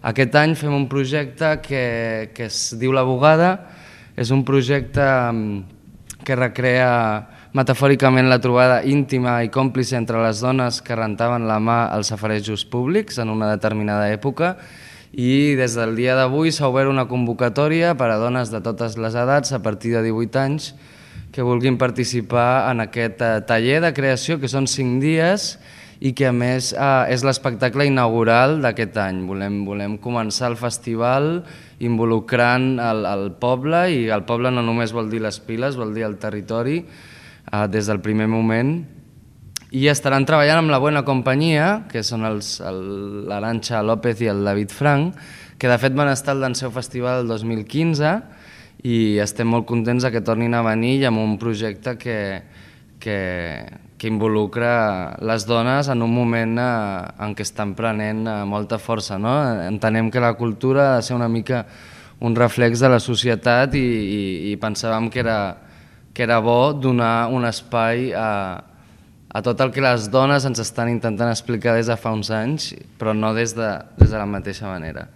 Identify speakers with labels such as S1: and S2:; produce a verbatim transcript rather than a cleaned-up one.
S1: Aquest any fem un projecte que, que es diu La Bugada. És un projecte que recrea metafòricament la trobada íntima i còmplice entre les dones que rentaven la mà als safarejos públics en una determinada època, i des del dia d'avui s'ha obert una convocatòria per a dones de totes les edats a partir de divuit anys que vulguin participar en aquest taller de creació, que són cinc dies i que a més és l'espectacle inaugural d'aquest any. Volem, volem començar el festival involucrant el, el poble, i el poble no només vol dir les Piles, vol dir el territori, eh, des del primer moment. I estaran treballant amb la Buena Companyia, que són l'Arantxa López i el David Frank, que de fet van estar al Danseu Festival el dos mil quinze, i estem molt contents que tornin a venir i amb un projecte que, que, que involucra les dones en un moment en què estan prenent molta força, no? Entenem que la cultura ha de ser una mica un reflex de la societat, i, i, i pensàvem que era, que era bo donar un espai a, a tot el que les dones ens estan intentant explicar des de fa uns anys, però no des de, des de la mateixa manera.